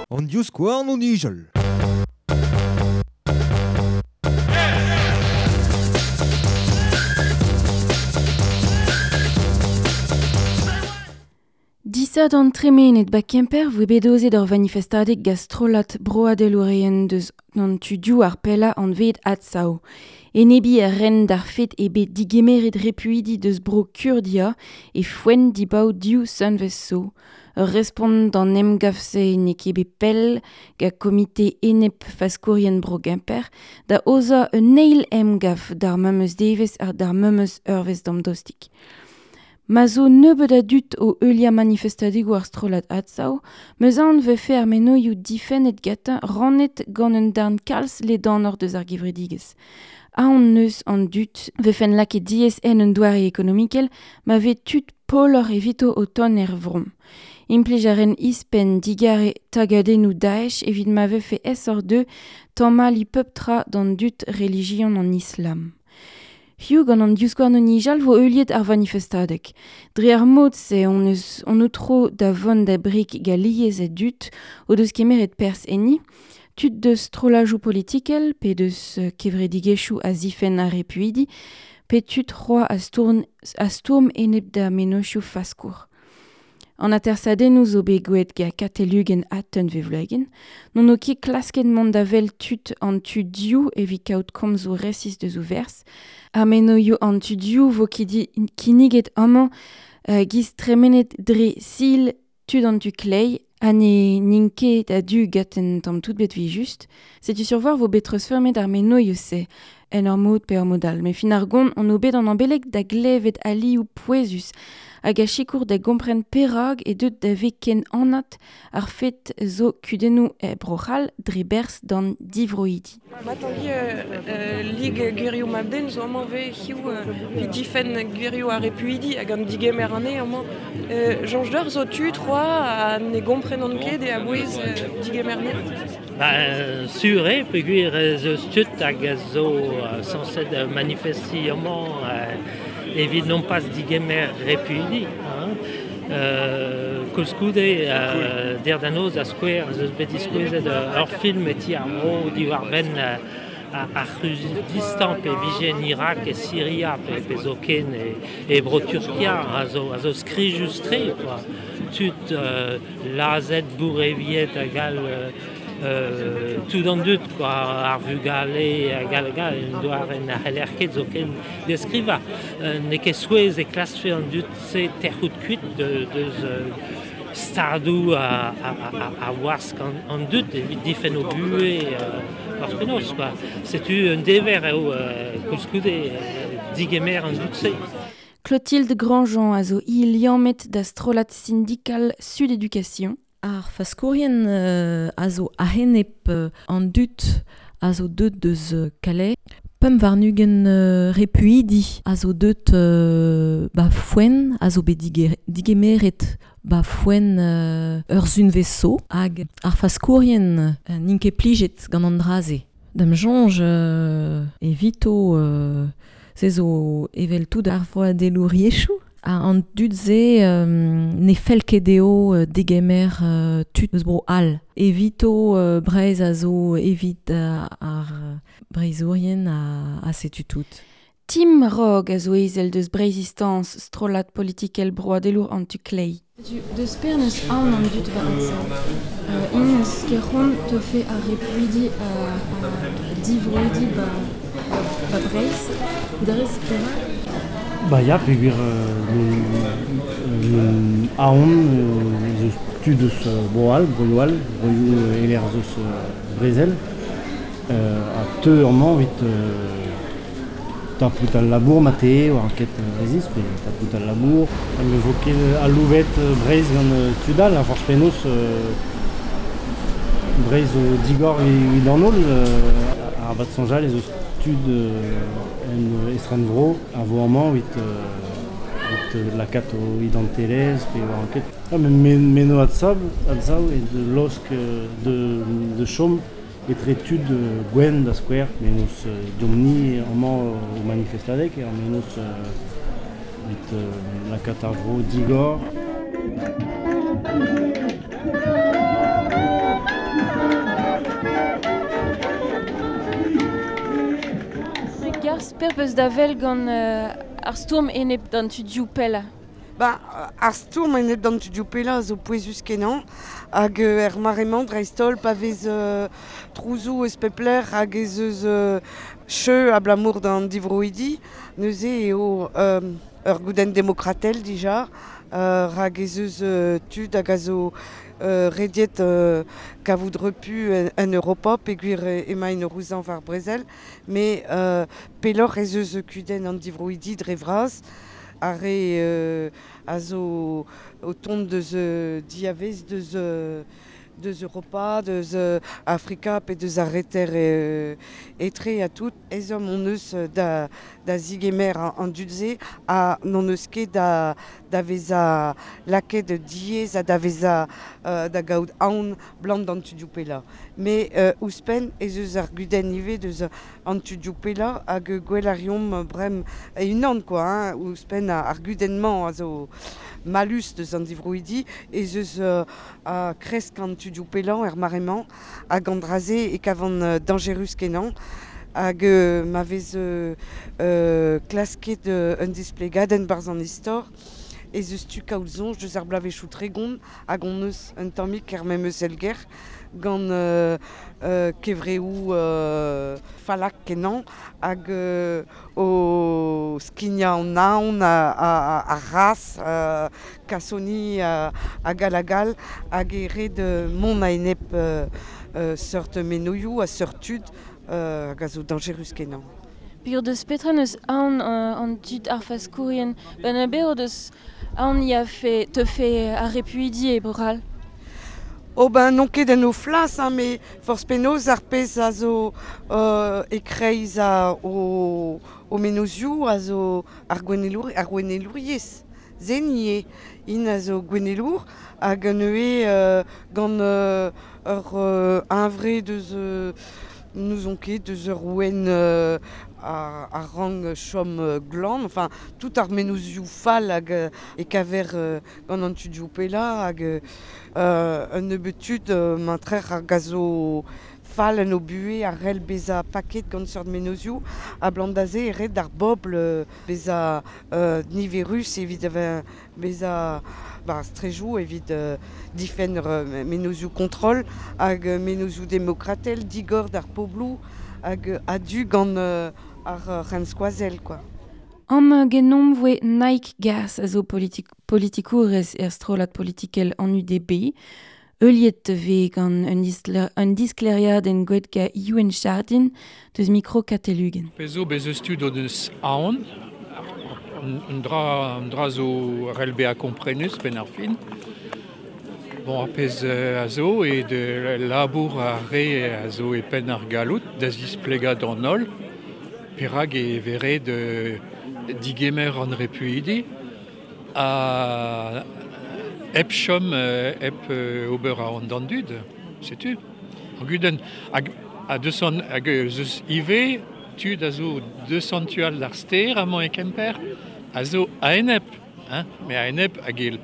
An divskouarn o nijal. Disadorn tremenet ba Kemper voe bet aozet ur vanifestadeg gant strollad broadelourien deus an tudioù ar pellañ anvet Adsav. Enebiñ a ren d'ar fed eo bet digemeret repuidi deus bro Kurdia e foenn dibaot div sunvezh zo. Ur respont d'an emgav-se n'eo ket bet pell gant komite enep faskourien bro Gemper da aozañ un eil emgav d'ar memes devezh ha d'ar memes eurvezh damdostik. Ma zo nebeut a dud o heuliañ manifestadegoù ar strollad Adsav, 'meus aon 'vefe ar mennozhioù difennet gantañ rannet gant un darn kalz ledanoc'h deus ar gevredigezh. Aon 'neus an dud 'vefent lakaet diaes en un doare ekonomikel ma vez tud paouroc'h evito o tont er vro. Implij a ren ouzhpenn digarez tagadennoù Daesh evit ma vefe aesoc'h dezhe tamalliñ pep tra d'an dud relijion an Islam. Hiziv gant an divskouarn o nijal 'vo heuliet ar vanifestadeg. Dre ar mod-se hon eus hon o tro da vont da brig galiez a dud o deus kemeret perzh enni, tud deus strolladoù politikel pe deus kevredigezhioù a zifenn ar repuidi, pe tud c'hoazh a stourm, a stourm enep da mennozhioù faskour. An atersadennoù zo bet gwelet gant Katell Uguen ha Tunvezh Wloagen. N'on o ket klasket mont da wel tud an tu div evit kaout komzoù resis deus o verzh. Ar mennozhioù an tu div vo kinniget amañ giz tremenet dre sil tud an tu kleiz ha ne n'int ket a-du gant un tamm tout bet 'vit just. Setu sur-voir vo bet treuzfeurmet ar mennozhioù-se en ur mod pe ur mod all. Met fin ar gont on o bet an ambeleg da glevet alioù pouezus hag a sikour da gompren perak eo deuet da vezañ ken anat ar fed zo kudennoù e Bro-C'hall dre berzh d'an divroidi. Ma Tangi, Lig gwirioù mab-den zo amañ 'vez hiziv evit difenn gwirioù ar repuidi hag an digemer anezhe amañ. Soñj deoc'h zo tud c'hoazh ha ne gomprenan ket e a-bouez digemer anezhe? Ba sur eo peogwir ez eus tud hag a zo sañset manifestiñ amañ evit nompas digemer repuidi. Hein. Koulskoude, dec'h da noz, da skouer, ez eus bet diskouezet ur film e ti ar vro diwar-benn ar C'hurdistan pe vije en Irak, e Siria pe zoken e Bro-Turkia a zo skrijus-tre quoi. Tud lazhet, boureviet hag all tout an dud quoi, ar vugale hag all hag all, un doare na c'heller ket zoken deskrivañ. N'eo ket souezh e klaskfe an dud-se tec'hout kuit deus stadoù a wask an dud evit difenn o buhez forzh penaos quoi. Setu un dever eo koulskoude digemer an dud-se. Clotilde Grandjean a zo hi liammet da strollad sindikal Sud Éducation. Ar faskourien a zo a-enep an dud a zo deuet deus Calais. 25 repuidi a zo deuet ba foenn, a zo bet digemeret ba foenn ur sunvezh zo. Hag ar faskourien n'int ket plijet gant an dra-se. Da'm soñj evito se zo evel tout ar vroadelouriezhioù. An dud-se ne fell ket dezho degemer tud eus bro all. Evito Breizh a zo evit ar Breizhourien ha setu tout. Tim Rog a zo ezel deus Breizhistance, strollad politikel broadelour an tu kleiz. Deus per n'eus aon an dud war Adsav. Int eus ket c'hoant teufe ar repuidi ha divroidi ba, ba Breizh. Drez perak? Ba ya, peogwir aon ez eus tud eus Bro-C'hall, broioù all, broioù e-lec'h ez eus brezel, ha teu amañ evit tapout al labour mat-eo war ket resis pe tapout al labour. Ne vo ket aloubet Breizh gant tud all, a forzh penaos Breizh zo digor evit an holl. Arabat soñjal ez eus tud en estrenvro a vo amañ evit lakaat o identelezh pe war ket. Ah, met meno adsav eo de laosk de chom etre tud gwenn da skouer, menos deomp-ni amañ o manifestadeg, menos Vit lakaat ar vro digor. Garz per peus da vel gant ar stourm enep d'an tudioù pella? Ba, ar stourm enep d'an tudioù pella zo pouezus kenañ hag er maremañ dreist-holl pa vez trouzou eus pepler hag ez eus cheu abalamour d'an divroidi neuze eo ur goudenn demokratel dija rag ez eus tud hag a zo rediet kavout repu en Europa peogwir emaint o rouzañ war brezel met pelloc'h ez eus kudenn an divroidi dre vras ar re a zo o tont deus diavez deus deus Europa, deus Afrika pe deus ar reter etre ha tout. Ezhomm hon eus da, da zigemer an dud-se ha n'hon eus ket da, da vezañ lakaet diaes ha da vezañ da gaout aon blant d'an tudioù pellañ. Met ouzhpenn ez eus ar gudenn ivez deus an tudioù pellañ hag gwell a reomp brem e-unan quoi, hein, ouzhpenn ar gudenn-mañ a zo malus deus an divroidi ez eus a kresk an tudioù pellañ er mare-mañ hag an dra-se e kavan dañjerus kenañ hag ma vez klasket un displegadenn barzh an istor ez eus tu kaout soñj deus ar bloavezhioù tregont hag hon eus un tammig er memes elger gant kevreoù fallak kenañ hag o skignañ an aon ar ras kasoni hag all hag all hag e ret mont a-enep seurt menoioù ha seurt tud hag a zo dañjerus kenañ. Peogwir deus petra n'eus aon an dud ar faskourien Ben a deus aon ya fe teufe ar repuidi e Bro-C'hall? Oh ben n'on ket en o flas, hein, met forzh penaos ar pezh a zo e-kreiz o, o menozioù a zo ar gouennelour, ar gouennelouriezh. Zen ivez, int a zo gouennelour hag neuze gant ur hunvre deus n'ouzon ket deus ur ouenn a rank chom glan, enfin tout ar menozioù fall hag e kaver gant an tudioù pellañ hag un nebeud tud mantrer hag a zo fall en o buhez a c'hell bezañ paket gant seurt menozioù ha blant da se e ret d'ar bobl bezañ niverus evit bezañ ba strejoù evit difenn menozioù kontrol hag menozioù demokratel digor d'ar pobloù hag a-du gant ar c'henskoazell quoi. Am genomp voe Nike Gas a zo politikourez er strollad politikel an UDB. Heuliet vez gant un diskleriadenn gwelet ga Youenn Chardin deus mikro Katelugen. Pezh zo bez eus tud o deus aon, un dra zo c'hell bezañ komprenus benn ar fin. Bon, ar pezh a zo eo de labour ar re a zo e penn ar galloud da zisplegañ d'an holl perak e vere de digemer an repuidi ha hep chom hep ober an d'an dud, setu. Ar gudenn hag a deus hag eus ivez tud a zo deus an tu all d'ar stêr amañ e Kemper a zo a-enep, hein, met a-enep hag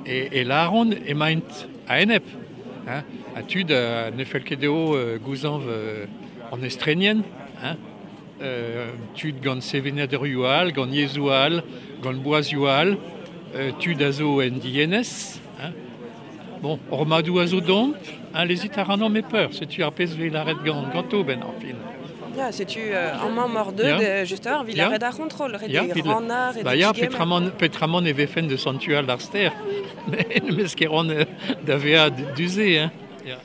e lâront emaint a-enep, hein, ha tud ne fell ket dezho gouzañv an estrenien, hein, tud gant sevenadurioù all, gant yezhoù all, gant boazioù all, tud a zo en dienez, hein. Bon, hor madoù a zo domp, hein, lezit a rannomp e peur, setu ar pezh vez lâret gant ganto ben ar fin. Ya, setu amañ mor deut, just ur vil ret ar c'hontrol, ret e rannar, ret Ba ya, petramant e vefen deus an tu all d'ar stêr, mes ket ran da vezañ du-se, hein. Ya.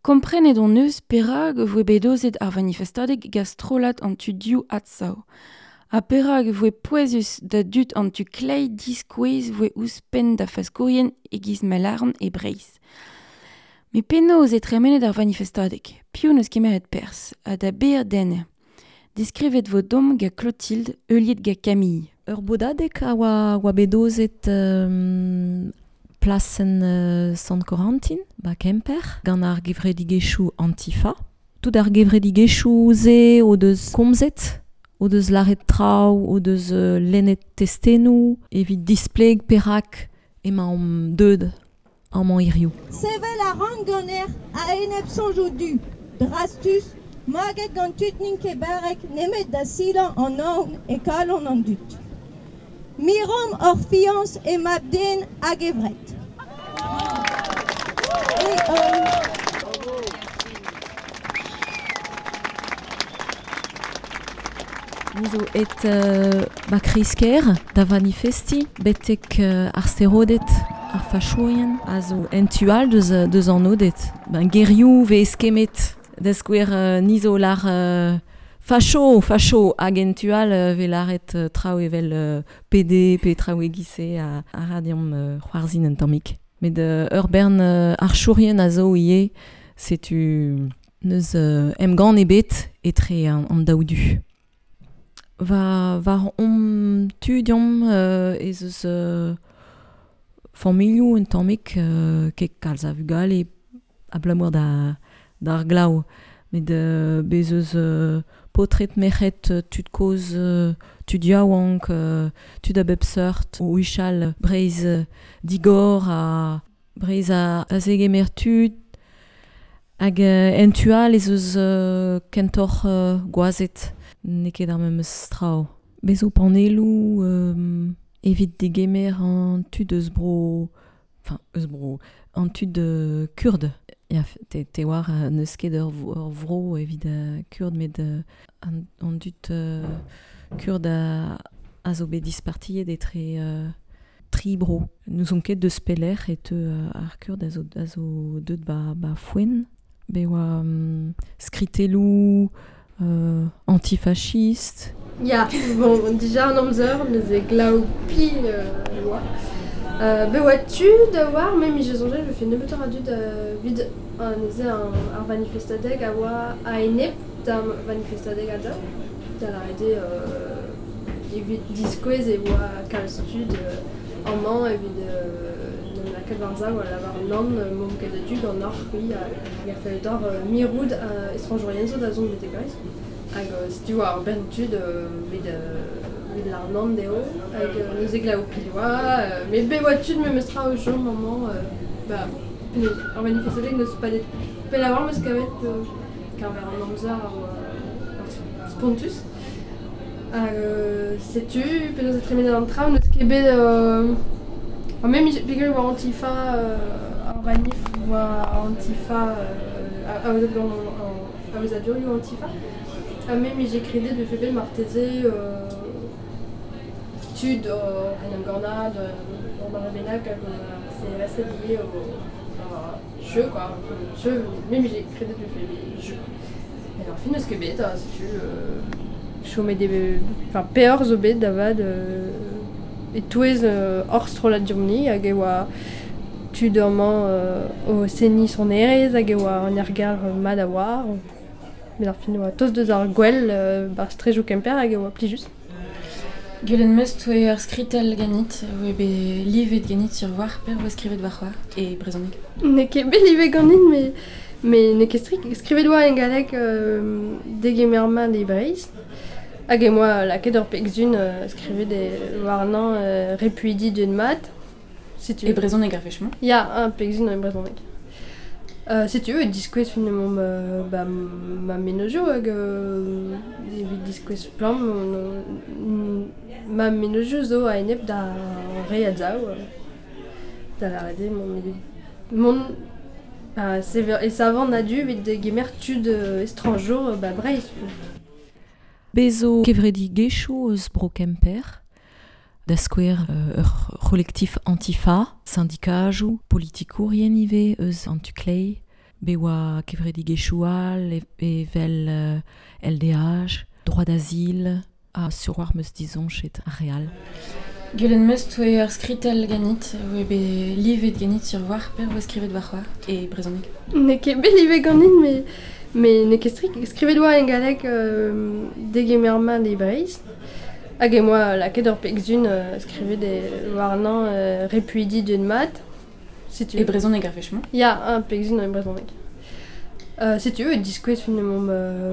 Komprenet hon eus perak voe bet aozet ar vanifestadeg gant strollad an tudioù Adsav. Ha perak voe pouezus da dud an tu kleiz diskouez voe ouzhpenn da faskourien e-giz Malarn e Breizh. Met penaos eo tremenet ar vanifestadeg? Piv n'eus kemeret perzh ha da ber den? Diskrivet vo domp gant Clotilde, heuliet gant Camille. Ur bodadeg a oa bet aozet plasenn Sant-Corentin, ba Kemper, gant ar gevredigezhioù Antifa. Tout ar gevredigezhioù-se o deus komzet, o deus laret traoù, o deus lennet testennoù, evit displeg perak emañ omp deud amañ hiziv. Sevel a ran ganer a-enep soñjoù du, drastus, maget gant tud n'int ket barrek nemet da silañ an aon e kalon an dud. Miromp hor fiañs e mab-den hag e vret. Et, Ni zo et ba kreiz-kêr da vanifestiñ betek ar steroded ar fachourien a zo en tu all deus, deus an Oded. Ben, gerioù vez eskemmet da skouer ni zo lar facho, facho hag en tu all vez lâret traoù evel PD pe traoù e-giz-se a, a ra deomp c'hoarzhin un tammig. Met ur bern archourien a zo ivez, setu n'eus emgann ebet etre an daou du. Va war hon tu deomp ez eus familhoù un tammig ket kalz a vugale abalamour da d'ar glav. Met bez eus paotred merc'hed tud kozh tud yaouank tud a bep seurt o huchal Breizh digor ha Breizh a zegemer tud hag en tu all ez eus kentoc'h gwazed n'eo ket ar memes traoù. Bez zo panelloù evit degemer an tud eus bro... Enfin, eus bro... An tud kurd. Ya, te, te oar n'eus ket ur, ur vro evit kurd, met an, an dud kurd a, a zo bet dispartiet etre tri bro. N'ouzon ket deus pelec'h e teu ar kurd a zo, a zo deut ba, ba Fouen. Bet oa skritelloù antifachist. Ya, bon, dija an amzer, neuze glav pil oa. Bet oa tud a oar, me mije soñjet e vefe nebeutoc'h a dud evit neuze ar vanifestadeg a oa a-enep da vanifestadeg a-daou. Da lâret eo evit diskouez e oa kalz tud amañ evit n'em lakaat war-sav a lavar nann, m'omp ket a-du ganeoc'h c'hwi hag a fell deoc'h mirout estrañjourien zo da zont betek Breizh. Hag setu oa ur bern tud evit evit lâr nann dezho hag neuze glav pil oa met bet oa tud memestra o chom amañ ba penaos ar manifestadeg n'eus padet pell a-walc'h 'm eus kavet keñver an amzer a oa spontus. Hag setu penaos e tremenet an traoù n'eus ket bet ha me peogwir e oa Antifa ar vanif oa Antifa aozet gant an aozadurioù Antifa. Ha me 'mije kredet vefe bet marteze tud oc'h en em gannañ d'ur mare bennak hag CRS ivez o jeu quoi. Jeu, me 'mije kredet vefe bet jeu. Met ar fin n'eus ket bet ha setu chomet eo enfin peoc'h zo bet da vat e-touez hor strollad deomp-ni hag e oa tud amañ o seniñ sonerezh hag e oa an aergelc'h mat a-walc'h. Met ar fin e oa tost deus ar gwel 'barzh strejoù Kemper hag e oa plijus. Gwelet 'm eus 'toe ur skritell ganit, oa bet livet ganit sur war, per oa skrivet warc'hoazh e brezhoneg. N'eo ket bet livet ganin met met n'eo ket strik. Skrivet oa en galleg degemer mat e Breizh. Hag em boa lakaet ur pegsun skrivet warnañ repuidi deuet mat. Setu. E brezhoneg ar wech-mañ? Ya, un pegsun e brezhoneg. Setu e diskouez finalement ba ma mennozhioù hag evit diskouez splann ma mennozhioù zo a-enep d'ar re a zav. Da lâret eo mont e savan a-du evit degemer tud estrañjour ba Breizh. Bez zo kevredigezhioù eus bro Kemper, da skouer ur c'holektif Antifa, sindikajoù, politikourien ivez eus an tu-kleiz, bet oa kevredigezhioù all evel LDH, droit d'asile, ha sur war 'm eus disoñjet ar re all. Gwelet 'm eus 'toe ur skritell ganit, oa bet livet ganit sur war, per oa skrivet warc'hoazh e brezhoneg. N'eo ket bet livet ganin met met n'eo ket strik. Skrivet oa en galleg degemer mat e Breizh. Hag em boa lakaet ur pegsun skrivet warnañ repuidi deuet mat. Setu. E brezhoneg ar wech-mañ? Ya, un pegsun e brezhoneg. Setu e diskouez finalement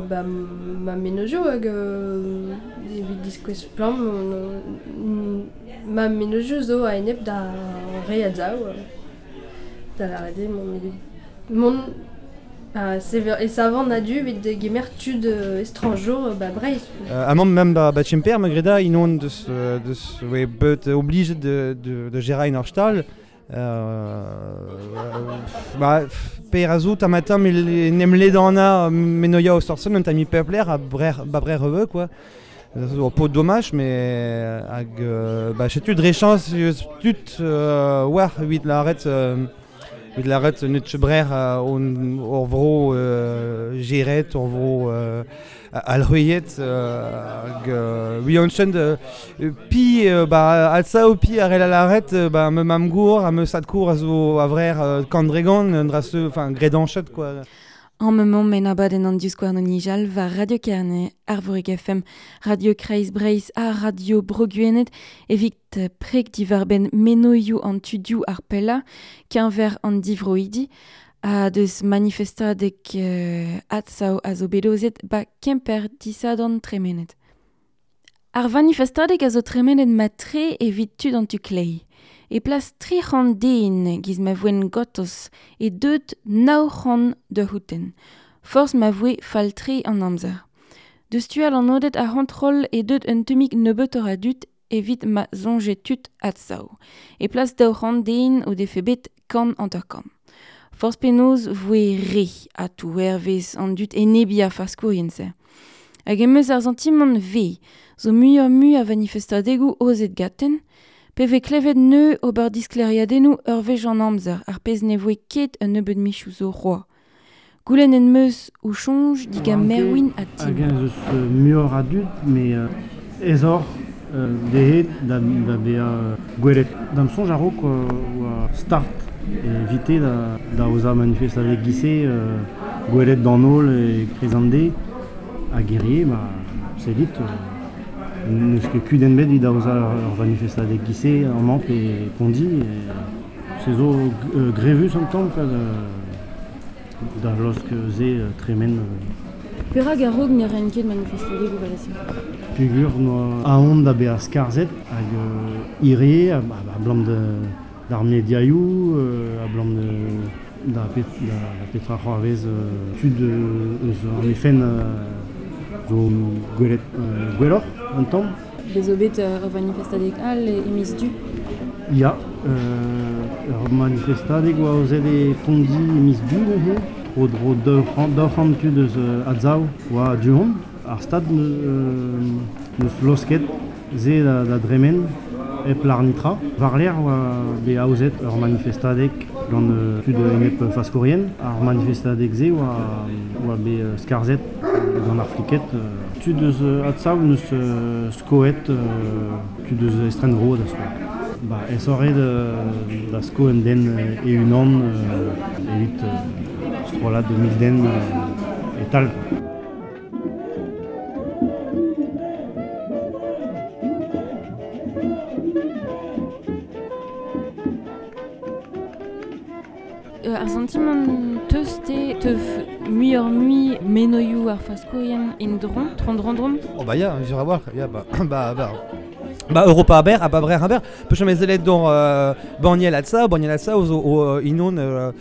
ba, ma menozioù hag evit diskouez plan ma menozioù zo a-enep da re a zaou da lâret eo mont e savan a-du evit degemer tud estrañjour ba Breizh. Amañ mem ba Kemper ma greda inon deus oe bet oblijet de gérer ur stal. Ba, per a zo tamatam nem ledana menoia o sorsen un tami pepler a brer, ba brer reveu, quoi. Zo pot dommage, mais hag ba setu dre chans eus tud war evit lâret neut brer on ur vro geret, ur vro alc'hweiet hag wi on chen pi ba alsa o pi ar el lâret ba me mam gour ha me sad kour a zo a vrer kandregan un dra se enfin gredanchet quoi. En moment men abadenn an diskouarn an nijal war Radio Kerne, Arvorig FM, Radio Kreiz Breiz ha Radio Bro-Gwened evit preg divarben menoioù an tudioù ar pella, keñver an divroidi, ha deus manifestadeg atsao a zo bedozet ba Kemper disadorn tremenet. Ar vanifestadeg a zo tremenet ma tre evit tud an tu klei. E plas 300 den giz ma voen gotos e deut 900 de houten. Forz ma voe fall-tre an amzer. Deus tual an odet ar c'hontrol e deut un temik nebeutoc'h a dud evit ma zonje tud atsao. E plas 200 den o defe bet kant hanter-kant. Forz penaos voe re a tou hervez an dud enebi ar faskourien-se. Hag em eus ar santimant ve, zo muioc'h mui a vanifestadegoù ozet gaten, pe ve klevet neu ober diskleriadennoù ur wech an amzer, ar pezh ne voe ket un nebeud michoù zo roa. Goulenn en meus o soñj diga Merwin ha Tim. Hag eus muioc'h a dud, mais ez oc'h dezhe da bezañ gwelet. Da'm soñj a-raok oa start evite da ozañ manifestadeg giz-se gwelet d'an holl e Krezande hag hirie, ma sellit n'eus ket kudenn bet evit aozañ ur manifestadeg giz-se amañ pe Pondi. Se zo grevus an tamm quoi, da laosk se tremen. Perak a-raok ne raent ket manifestadegoù evel-se? Peogwir noa aon da bezañ skarzhet hag hirie abalamour d'ar mediaioù, abalamour da petra c'hoarvez tud eus an FN zo gwelet gwelloc'h un tamm. Bez zo bet ur manifestadeg all e miz Du? Ya, ur manifestadeg oa aozet e Pondi e miz Du neuze. Tro-dro 200 tud eus Adsav oa du-hont. Ar stad neus laosket se da dremen hep lâr nitra. War-lerc'h oa bet aozet ur manifestadeg gant tud enep faskourien. Ar manifestadeg-se oa bet skarzhet gant ar fliked. Tud eus Adsav neus skoet tud eus estrenvro da skouer. Ba, aesoc'h eo da sko un den e-unan evit strollad 1000 den e-tal. Ar santimant teus te teuf muioc'h mui menoioù ar faskourien en dron, tron-dron-dron? Oh ba ya, sur a war, ya ba ba ba ba Europa aber, ha ba brer aber, peus chom ezelet d'or banniel atsa, zo o inon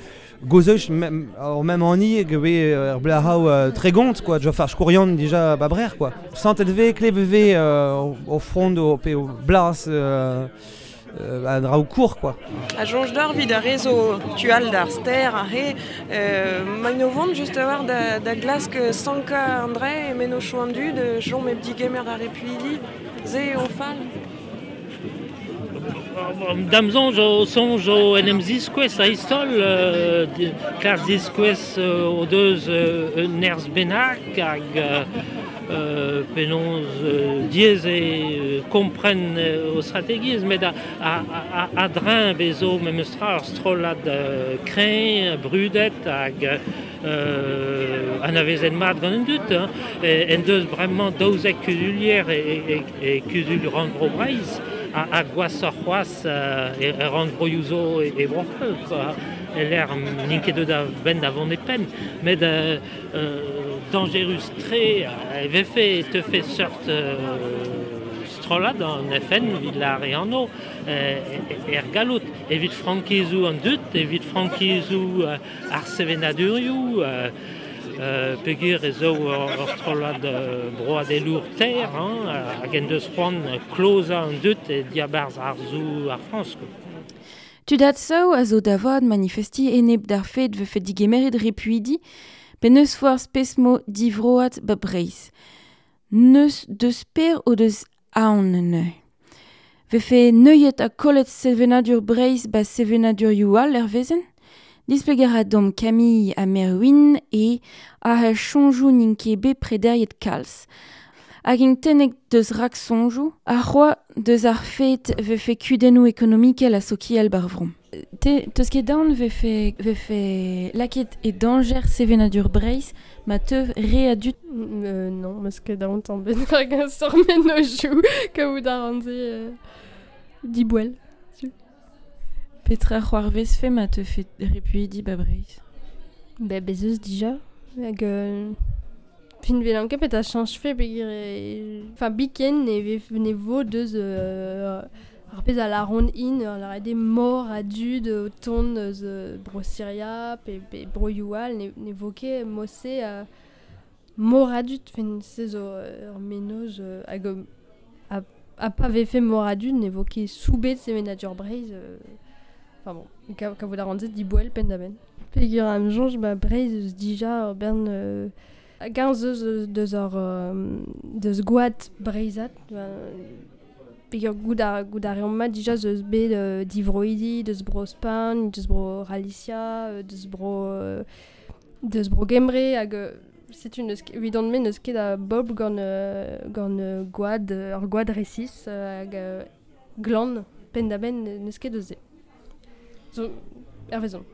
gozeuch ar même anni gwe er blahao tregont quoi, jo far skourion dija ba brer quoi. Santet ve klev ve au front o pe o blas a draoù kour quoi. A soñj d'ar vid ar re zo tual d'ar ster ar re maint o vont just a war da glask sanka an dre e meno chou an dud chom ep digemer ar repuidi ze o fall. Da'm soñj o soñj o en em ziskouez a istol kar ziskouez o deus un nerzh bennak hag penaos diaes e kompren o strategiezh met a dreñv bezo memes tra ur strollad kreñv, brudet hag anavezet mat gant an dud. Hein. En deus bremañ 12 kuzulier e kuzul rannvro Breizh a gwashoc'h c'hoazh e rannvroioù zo e Bro-C'hall quoi. l'air n'int ket da ben da vont e penn, met dangerus tre, vefe te fe seurt strollad an FN evit la re anno er gallout, evit frankizou an dut, evit frankizou ar sevenadurioù, peogwir ez eo ur strollad broadelour ter, hein, hag en deus c'hoant klozañ an dut e diabarzh arzoù ar Frañs. Tud Adsav a zo da vat manifesti enep d'ar fed vefe digemeret repuidi, pe neus forzh pesmo divroad ba Breizh. Neus deus per o deus aon neuze. Vefe neuiet ha kollet sevenadur Breizh ba sevenadurioù all er vezen? Displeger a dom Camille ha Merwin e a soñjoù n'int ket bet prederiet kalz. Hag int tennek deus rak soñjoù, ar c'hoa deus ar fet vefe kudennoù ekonomikel ha sokial bar vro. Te teus ket daon vefe lakaet e dañjer sevenadur Breizh ma teu re a dud? Non, meus ket daon tamm bet hag un sort mennozhioù kaout a ran se diboell. Petra c'hoarvezfe ma teufe repuidi ba Breizh? Ba bez eus dija. Hag fin velan ket petra chañjfe peogwir enfin biken ne vo deus ar pezh a lâront int ar lâret eo mor a dud o tont eus bro Siria pe broioù all ne vo ket mod-se mor a dud fin se zo ur mennozh hag ha pa vefe mor a dud ne vo ket soubet sevenadur Breizh. Enfin bon, kavout a ran se diboell penn-da-benn. Peogwir am soñj ba Breizh eus dija ur bern hag-eñ eus deus ar deus gwad breizhat. Peogwir goût a reomp mat dija eus bet divroidi, deus bro Spagn, deus bro Galicia, deus bro Gembre hag setu n'eus evidon-me n'eus ket a bobl gant gwad ur gwad resis hag glan penn-da-benn n'eus ket eus se. Zo hervezon.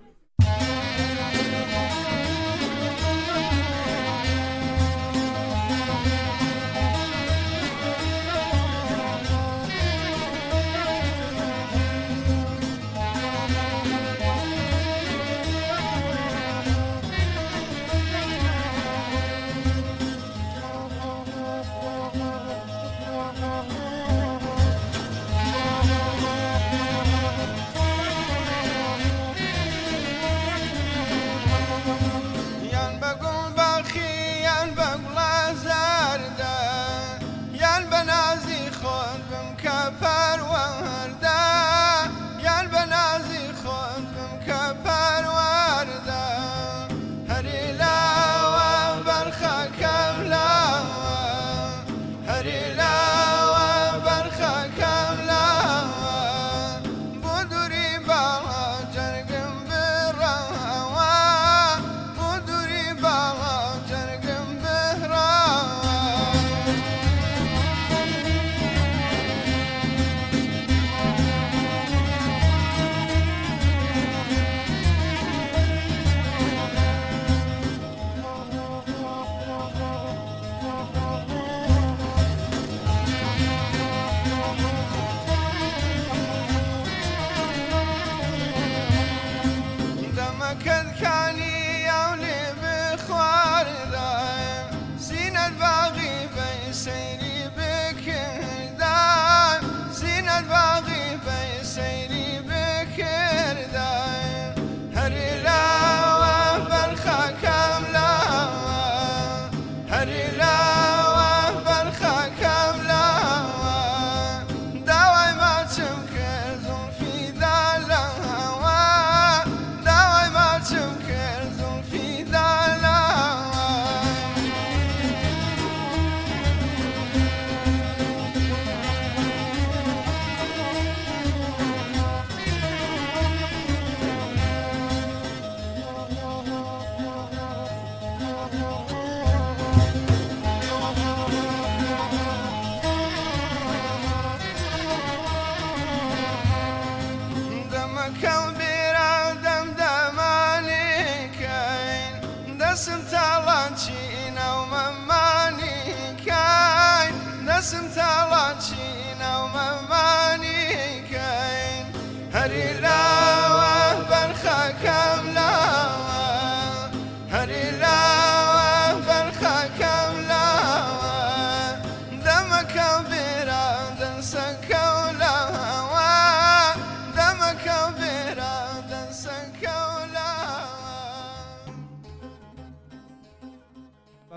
هری لا وبرخك.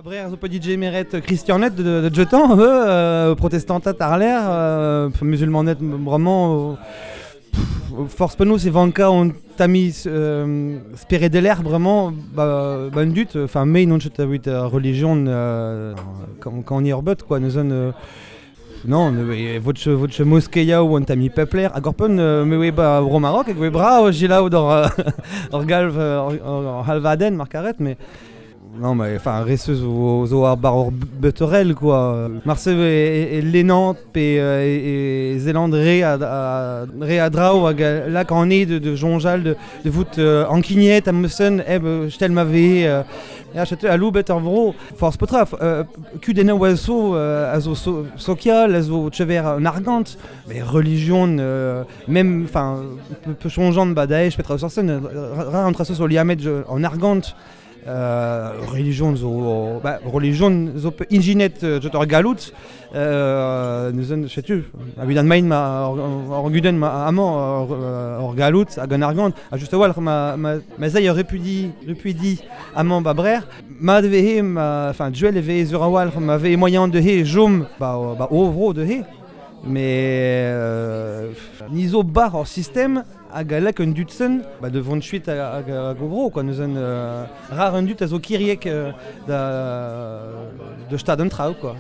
Brer zo pe meret Christianet de jetan, protestantat ar l'air, musulmanet vraiment force penaos e vanka on tami spere de l'air vraiment ba un dut, enfin me non chet avit religion quand on y orbet quoi, nous on non, votre votre mosquée ou on tami pepler hag ur pen me oe ba bro Maroc hag oe bra jilaou d'ur ur galv ur halvaden markaret mais non mais enfin reseus zo ar bar ur beterel quoi. Marse e lenant pe e Zéland re a draou hag lak an e de jonjal de vout ankignет a meusen eb stel ma ve ya chete a loubet ar vro force petra kudenna oa zo a zo sokial a zo chever an argant mais religion même enfin pe chonjant ba Daesh petra sorsen ra an traso zo liamet en argant religion zo ba religion zo pe inginet jot ur galout nous en chetu a vid an main ma ur gudenn ma amañ ur galout hag an argant a just a-walc'h ma zay ur repudi amañ ba brer ma de ma enfin duel e ve zur a-walc'h ma ve moyen de he jom ba ovro de he mais ni zo bar ur système hag a lak un dutsen ba de vont chuit hag ovro quoi nous en rar un dut a zo kiriek da de stad an traoù quoi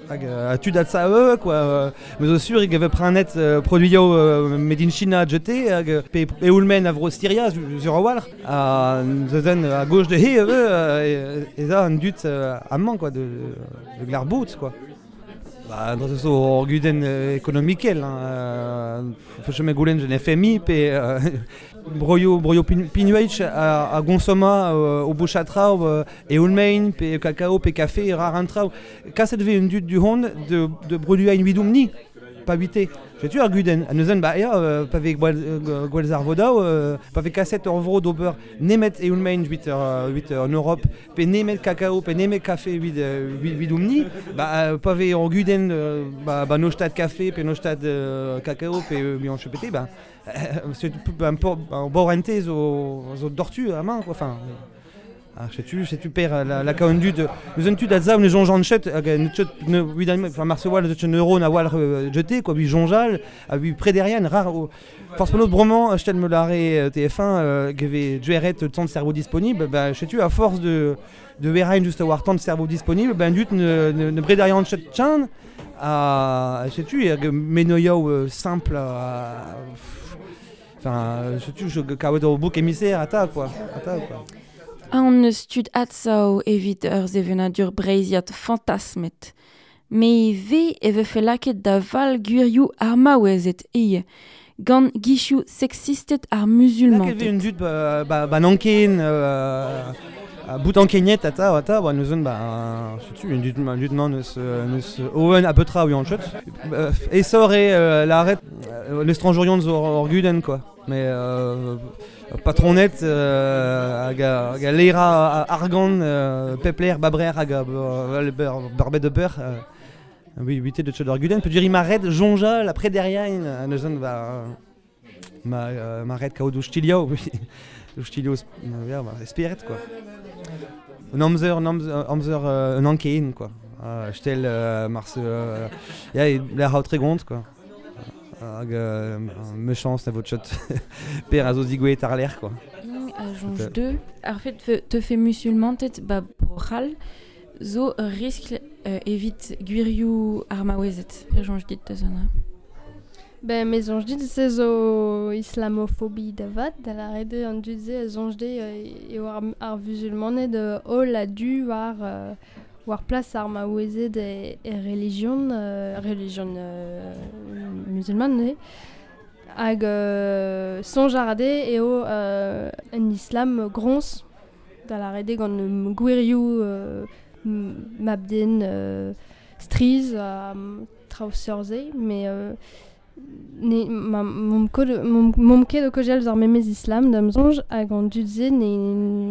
hag a tud at sa quoi me zo sur hag eve pranet produio made in China jeté hag pe eoulmen a vro Syria zur a-walc'h a zen a gauche de he e za un dut amañ quoi de glarbout quoi. Ba, dra zo ur gudenn ekonomikel, hein. Feuch me goulenn jen FMI pe broio pinueich a gonsoma o bouchatra eoulmein pe cacao pe café rar an traoù. Kaset ve un dut du hon de produit ein widoum ni, pa bite. Setu ar gudenn. A neuzen ba ea pa ve gwell ar vodao, pa ve kaset ur vro d'ober nemet eoulmein 8 en Europe, pe nemet cacao, pe nemet café 8 ni, ba pa ve ur gudenn ba no stad café, pe no stad cacao, pe mi an chepete, ba setu un borente zo dortu amañ quoi, enfin. Ah, setu per la ka un dud, neus un tud a zav ne jonjant chet, hag ne chet ne vid enfin marse wal de neuro na wal jeté quoi, ui jonjal, a ui prederian rar force penaos bremañ stel me lare TF1 geve dueret tant de cerveau disponible, ba setu à force de verain just a war tant de cerveau disponible, ben dut ne brederian chet chan a setu hag menoioù simple enfin setu je kaout ur bouc émissaire ata quoi, ata quoi. An eus tud atsao evit ur sevenadur breiziat fantasmet. Me ve e vefe laket da val gwirioù ar maouezet eo, gant gichioù sexistet ar musulmanted. Laket ve un dud ba nanken, bout ankeignet ata, ba neus ba setu un dud man eus oen a petra ui an chot. Esor e l'arret l'estrangeurion zo ur gudenn quoi. Mais patronet hag a lera argant pepler babrer hag a barbet de peur oui huité de chod ur gudenn pe duri maret jonjal après derrière neuzen ba ma maret kaout oustilio oustilio ba spiret quoi. Un amzer un ankein quoi. Stel mars ya la haut tregont quoi. Hag me chance na vo chot per a zo digouet ar l'air quoi. A jonj deux ar fet te fe musulmantet ba brochal zo ur riskl evit gwirioù ar maouezet. Per jonj dit da zona. Ben, me zonj dit se zo islamophobie da vat, da la rede an dud se a zonj de eo ar musulmaned holl a du war plas ar maouezed e religion, religion musulman neuze. Hag sonj ar ade eo en islam grons, da la rede gant gwirioù mabden striz ha traoù seurze, mais ne ma mom ket o kojel ar memez islam da'm soñj hag an dud se ne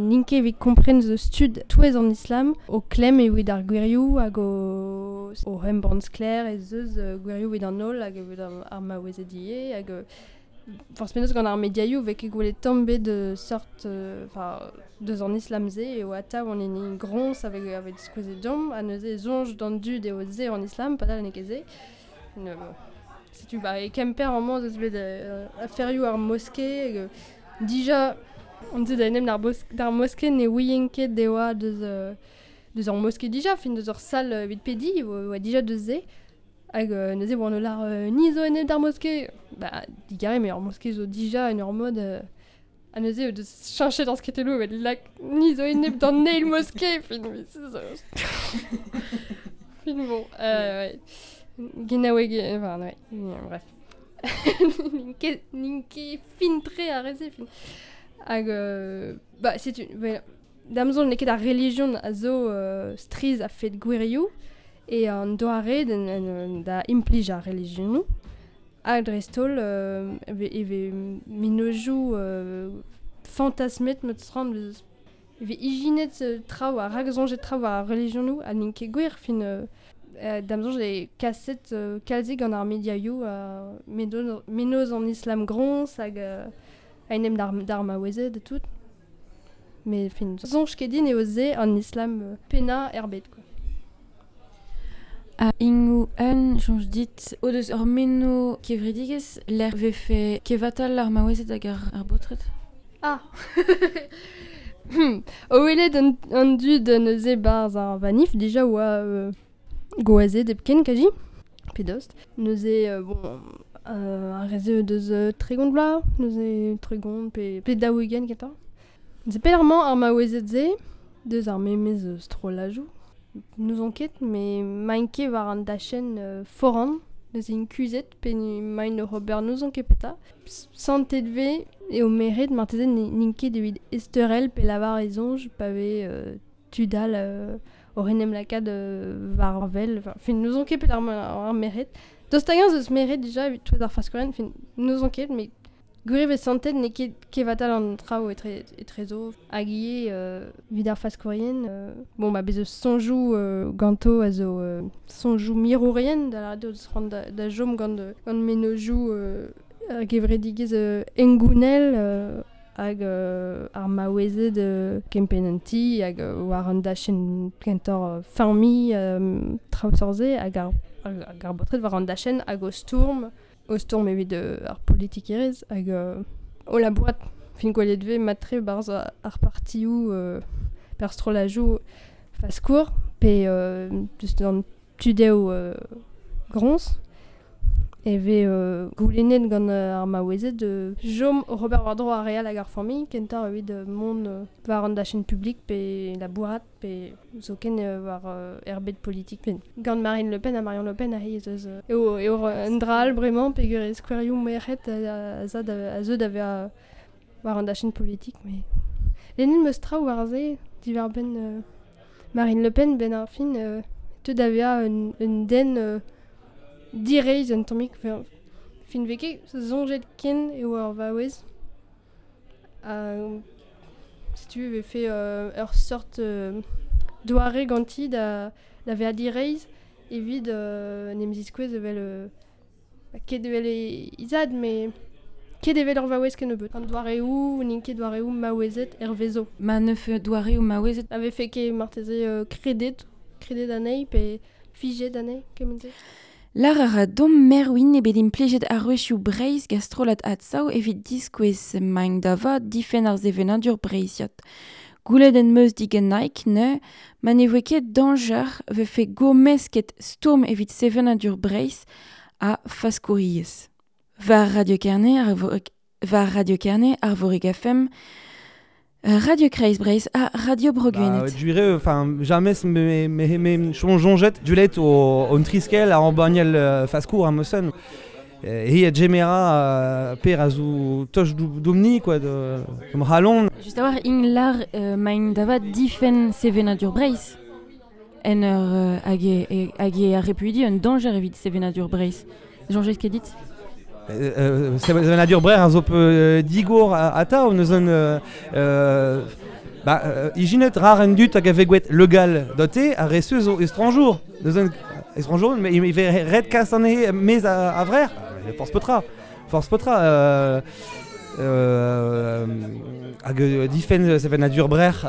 n'int ket evit kompren zo stud touez an islam o klemm evit ar gwirioù hag o o embann sklaer ez eus gwirioù evit an holl hag evit ar maouezed ivez hag forzh penaos gant ar mediaioù 'vez ket gwelet tamm ebet seurt enfin deus an islam-se eo atav an hini groñs a vez diskouezet deomp ha neuze e soñj d'an dud eo se an islam padal n'eo ket se. Setu ba e Kemper amañ ez eus bet aferioù ar moske hag dija on deuet da en em d'ar moske ne ouien ket e oa deus deus ur moske dija, fin deus ur sal evit pediñ e oa dija deus se. Hag neuze e oan o lâr ni zo enep d'ar moske. Ba digarez met ur moske zo dija en ur mod ha neuze o deus cheñchet ar skritelloù evit lak ni zo enep d'an eil moske fin fin bon ouais. Genaoueg enfin ouais, bref. N'int ket fin-tre ar re-se fin. Hag bah setu da'm soñj n'eo ket ar relijion a zo strizh a-fet gwirioù e an doare da implij ar relijionoù. Ha dreist-holl e vez mennozhioù fantasmet meus e vez ijinet traoù ha raksoñjet traoù war ar relijionoù ha n'int ket gwir fin da'm soñj eo kaset kalzik gant ar mediaioù mennozh an islam groñs hag a-enep d'ar maouezed ha tout. Met fin soñj ket din eo se an islam pennañ er bed quoi. Ha ingoù un soñj dit o deus ur meno kevredigezh lec'h 'vefe kevatal ar maouezed hag ar baotred? Ah O welet an dud neuze 'barzh ar vanif dija oa gwazed hepken kazi, pe dost. Neuze bon ar re-se o deus 30 vloaz, neuze 30 pe 40 kentañ. Neuze pelec'h-mañ ar maouezed-se deus ar memes strollajoù. N'ouzon ket, met 'maint ket war an dachenn foran, neuze int kuzhet pe emaint oc'h ober n'ouzon ket petra. Santet 'vez eo meret marteze n'int ket evit ezteurel pe lavar e soñj pa vez tud all oc'h en em lakaat war wel. Enfin, n'ouzon ket pelec'h emañ ar merc'hed. Daoust hag-eñ ez eus merc'hed dija evit touez ar faskourien, enfin, n'ouzon ket, met gwir e vez santet n'eo ket kevatal an traoù etrezo. Hag ivez evit ar faskourien, bon bah bez' eus soñjoù ganto a zo soñjoù mirourien da lâret eo deus c'hoant da chom gant mennozhioù ar gevredigezh hengounel hag ar maouezed kempenn an ti hag war an dachenn kentoc'h familh traoù seurt-se hag ar baotred war an dachenn hag o stourm o stourm evit ar politikerezh hag o labourat fin gwelet 'vez mat-tre 'barzh ar partioù pe ar strollajoù faskour pe just an tudeoù groñs e vez goulennet gant ar maouezed chom oc'h ober war-dro ar re all hag ar familh kentoc'h evit mont war an dachenn publik pe labourat pe zoken war er bed politik. Gant Marine Le Pen ha Marion Le Pen aze ez eus eo un dra all bremañ peogwir e skouerioù merc'hed a zeu da vezañ war an dachenn politik. Met lennet 'm eus traoù war se diwar-benn Marine Le Pen 'benn ar fin teu da vezañ un den direizh un tammig. Fin 'vez ket soñjet ken eo ur vaouez. Setu e vefe ur seurt doare ganti da vezañ direizh evit en em ziskouez evel ket evel he zad met ket evel ur vaouez kennebeut. An doareoù n'int ket doareoù maouezed hervezo. Ma neufe doareoù maouezed. A vefe ket marteze kredet anezhi pe fijet anezhi kement-se. Lâr a ra Dom Merwin eo bet implijet arouezioù Breizh gant strollad Adsav evit diskouez maint da vat difenn ar sevenadur breizhiat. Goulennet em eus digant Nike neuze ma ne voe ket dañjer 'vefe gourmesket stourm evit sevenadur Breizh ha faskouriezh. War Radio Kerne, Arvorig FM, Radio Kreiz Breizh ha Radio Bro Gwened. Bah, duire, enfin, jamais me soñjet dulet o triskel a embagnel faskour am eus Hi a gemera per a zo toch domni quoi de halon. Just a war ing lar maint da vat difenn sevenadur Breizh en ur hag e ar repuidi un dañjer evit sevenadur Breizh. Soñjet ket dit? Sevenadur Breizh a zo pe digor atav neus un Ba, ijinet rar en dut hag a vegwet legal dote a resu zo estranjour. Deus estranjour, mais il ve red kas an he mez a vrer. Force petra. Force petra. Hag difen sevenadur brer.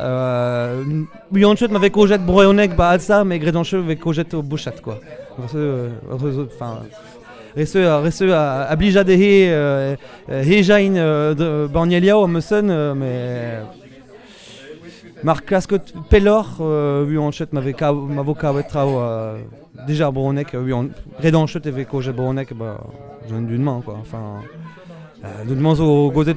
Uanchet ma vez kojet broeonek ba alsa, mais gredancheu vez kojet o bouchat, quoi. Enfin... Rese a blija de he he jain bannieliao am eus mais mar klasket pelloc'h uanchet ma vo kavet trao déjà broeonek gredanchet e vez kojet broeonek ba d'une main quoi. Enfin d'un zo gozet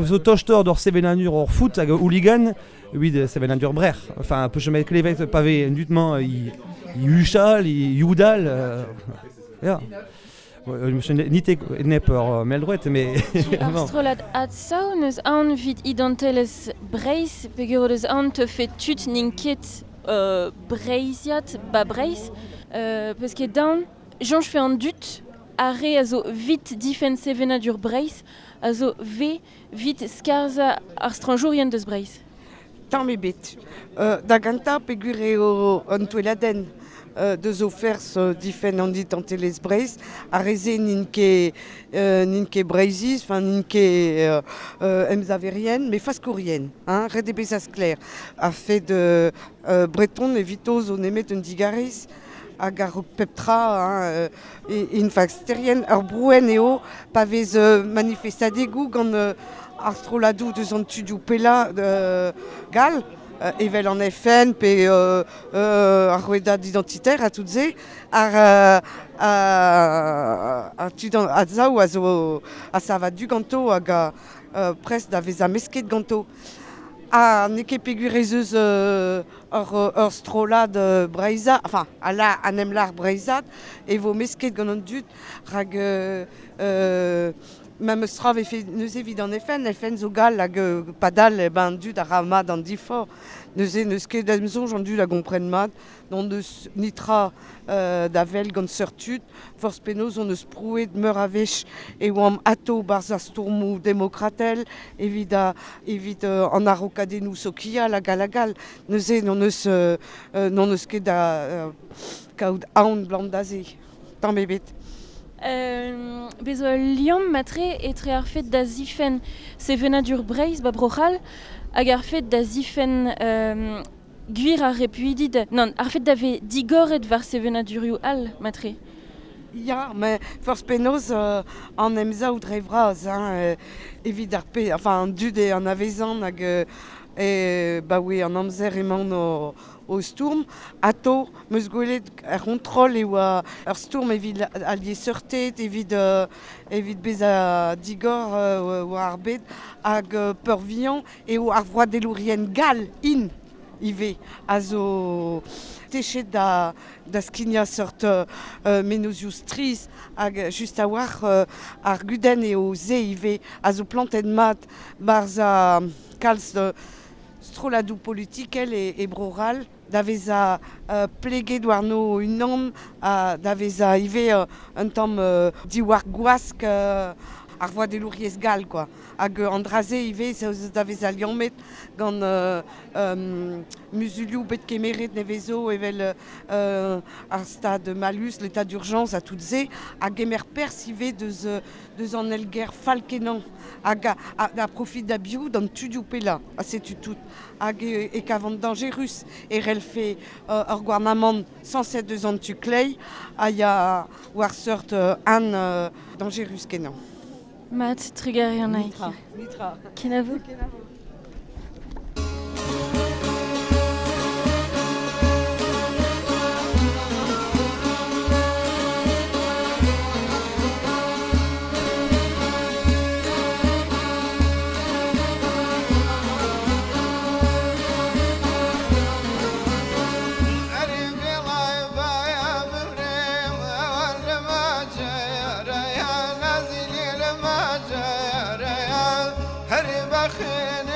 zo tochtor d'or sevenanur or foot hag hooligan vid sevenanur brer. Enfin peu chemet klevet pave un dutman i huchal i youdal ya. Nite nep ur meldroet, mais... Ar strollad Adsav neus aon vit identelezh Breizh, peogwir deus aon teufe tud n'int ket Breizhiat ba Breizh, peus ket daon, soñj fe an dud ar re a zo vit difenn sevenadur Breizh, a zo ve vit skarzhañ ar strañjourien deus Breizh. Tamm ebet. Da gentañ peogwir eo an touelladenn. Deus o ferzh difenn an identelezh Breizh, ar re-se n'int ket Breizhiz, enfin n'int ket emsaverien, mais faskourien, hein, ret eo bezañ sklaer. A fed breton evito zo nemet un digarez hag ar pep tra, hein, int fasterien, ur brouenn eo pa vez manifestadegoù gant ar strolladoù deus an tudioù pellañ gall, evel an FN pe ar rouedad identitaire a tout se ar tud a zaou a zo a sava du ganto hag a prest da vezañ mesket ganto. Ha n'eo ket peogwir ez eus ur strollad breizhat, enfin ala an emlar breizhat e vo mesket gant an dud rak Memes tra vefe neuze evit an FN, FN zo gall hag padal ben dud a ra mat an difor. Neuze n'eus ket em soñj an dud a gompren mat, n'on deus nitra da vel gant seurt tud, forzh penaos on eus prouet meur a wech e oamp atao barzh ar stourmoù demokratel evit an arokadennoù sokial hag all hag all. Neuze n'on eus ket da kaout aon blant da se. Tamm ebet. Bez zo ul liamm matre etre ar fed da zifenn sevenadur Breizh ba Bro-C'hall hag ar fed da zifenn gwir ar repuidi non, ar fed da vez digoret war sevenadurioù all matre. Ya, mais forzh penaos an emsav dre vras, hein, evit ar pe, enfin an dud e an avezan hag ba oe an amzer emaon o stourm, atao meus gwelet ar c'hontrol e oa ur stourm evit al liesseurted, evit bezañ digor war ar bed hag peurvuiañ eo ar vroadelourien gall int ivez a zo techet da skignañ seurt menozioù strizh hag just a-walc'h ar gudenn eo se ivez a zo plantet mat barzh a kalz strolladoù politikel e Bro-C'hall da vezañ pleget warno unan da vezañ ivez un tamm diwar gwask ar vroadelouriezh gall quoi. Hag an dra-se ivez da vezañ liammet gant muzulioù bet kemeret nevezo evel ar stad malus, l'état d'urgence a tout se, hag gemer perzh ivez deus an elger fall-kenañ hag a profit da biou d'an tudioù pellañ, ha setu tout. Hag e kavan dañjerus e relfe ur gouarnamant sañset deus an tu kleiz a ya war seurt an dañjerus kenañ. Mat, trugarez an Nitra. Nitra. Kenavo. Kenavo. خير.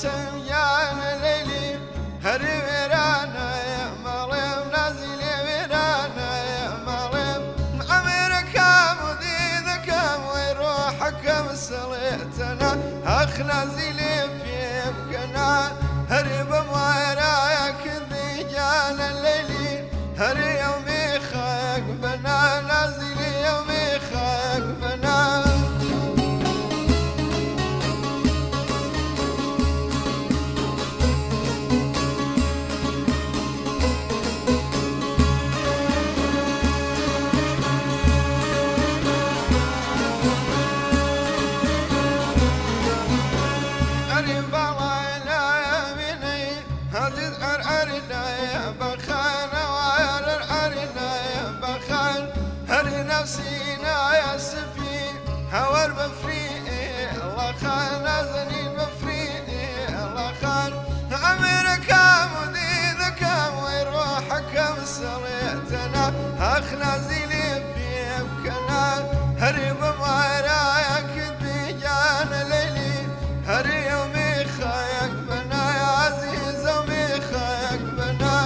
سمجان ليلي هري ويرانا يا مريم نازلي ويرانا يا مريم أمرك مديدك وروحك مسليتنا أخ نازلي في بكنا هري بمويراك ذي جان الليلي هري يومي خاك بنا نازلي يومي خاك بنا. أخ نازلي في بكنا هري بمعراك ديجان ليلي هري يومي خايك بنا يا عزيز يومي خايك بنا.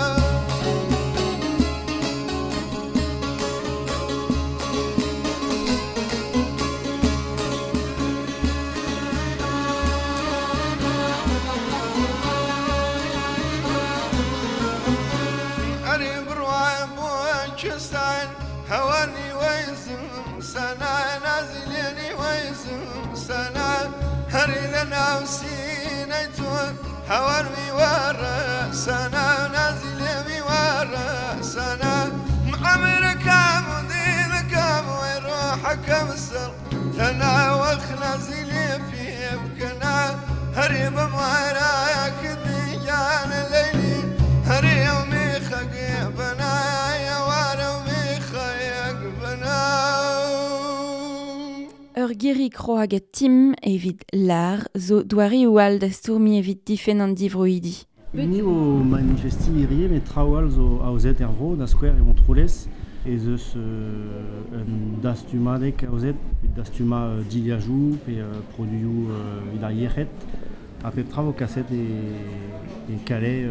هواني ويزم سنة نازليني ويزم سنة هري لنا وسينيتون هواني ورا سنة نازليني ورا سنة عمرك مدينك وروحك مسر تنا وخنازلي في بكنا هري بمعراك ديجان الليلي هري يومي خقيبنا يا Ur geri kroag a tim evit lar zo doare o al da stourmi evit difen an divroidi. Ni o manifesti irie, met traoù all zo aozet er vro, da skouer e Montroulez, ez eus un dastumadeg aozet, dastuma diliajou pe produioù evit ar yec'hed, ha pep tra vo kaset e Calais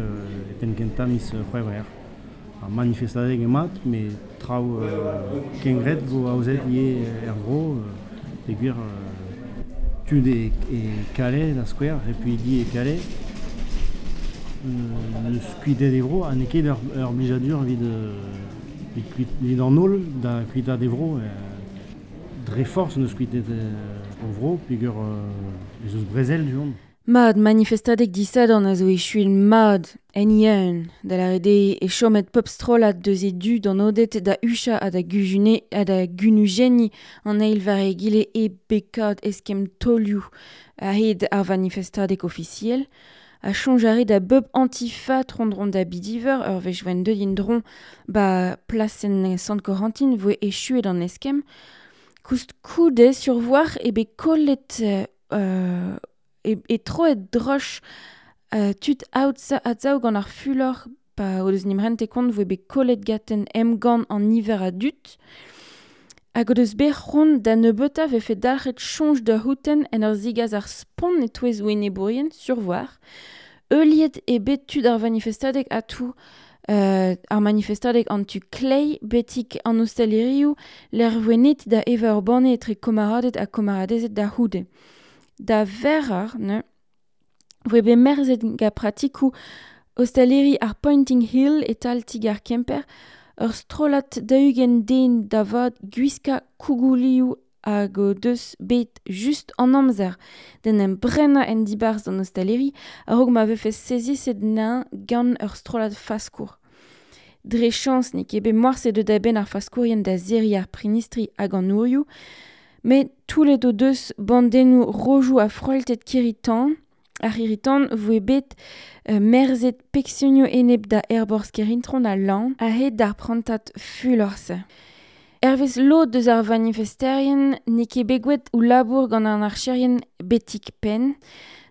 e penn kentañ miz C'hwevrer. Ar manifestadeg emaat, met traoù kengret vo aozet ivez er vro, peogwir tud e Calais da skouer, repuidi e Calais, neus kuitet e vro, ha n'eo ket ur blijadur evit an holl da kuitaat e vro, dre forzh neus kuitet o vro, peogwir ez eus brezel du-hont. Mad manifestadeg disadorn a zo echuil mad en ieun, da lâret eo e chomet pep strollad deus e du d'an odet da ucha ha da gujune ha da gunujenniñ an eil war egile e bekad eskemm taolioù a-hed ar vanifestadeg ofisiel, a soñj a re da bep antifa tro-dro da bidiver ur wech voen deut en-dro ba plasenn Sant-Corentin voe echuet an eskemm, koust koude survoar e bet kollet e troet droch tud atzav gant ar fulor pa o deus nimrente kont voe bet kollet gaten emgann an niver a dud hag o deus bet c'hoant da nebeutañ vefe dalc'het soñj da c'houten en ur zigaz ar spont e-touez o enebourien survoar. Heuliet eo bet tud ar vanifestadeg atou ar manifestadeg an tu klei betik an ostalerioù lec'h voe net da evañ ur banne etre komaraded ha komaradezed da c'houde. Da verrar, ne, voe bet merzet gant pratikoù ostaleri ar Pointing Hill e-tal ti-gar Kemper, ur strollad daou-ugent den da vat gwiskañ kougoulioù hag o deus bet just an amzer d'en em brenañ en dibarzh d'an ostaleri a-raok ma vefe seziset nañ gant ur strollad faskour. Dre chañs n'eo ket bet morse deut a-benn ar faskourien da serriñ ar prinistri hag an ourioù, met toulet o deus bandennoù rojoù ha froiltet kirri-tan, ar c'hirri-tan voe bet merzet peksionioù enep da aerborzh Kerintron ha Lan a-hed d'ar prantad fulor-se. Hervez lod deus ar vanifesterien n'eo ket bet gwelet o labour gant an archerien betik penn,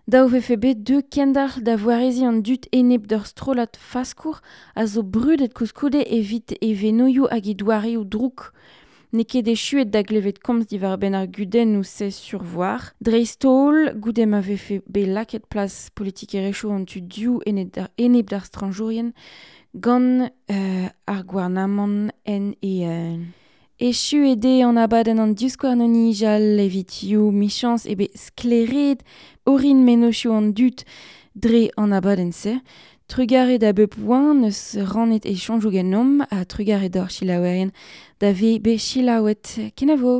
daou vefe bet deu kendalc'h da voareziñ an dud enep d'ur strollad faskour a zo brudet koulskoude evit e venoioù hag e doareoù drouk. Ne ket echuet da glevet komz diwar ben ar gudenn ou se survoar. Dreist-holl, goude ma vefe be laket plas politikerezhioù an tu diou enep d'ar stranjourien gant ar gouarnamant en e... Echu ede an abadenn an diouskouarn an nijal evit you michans ebe skleret orin menochioù an dud dre an abadenn-se. Trugare da bep oan eus rannet e chonjou genomp ha trugare d'or chilaouerien da ve be chilaouet. Kenavo!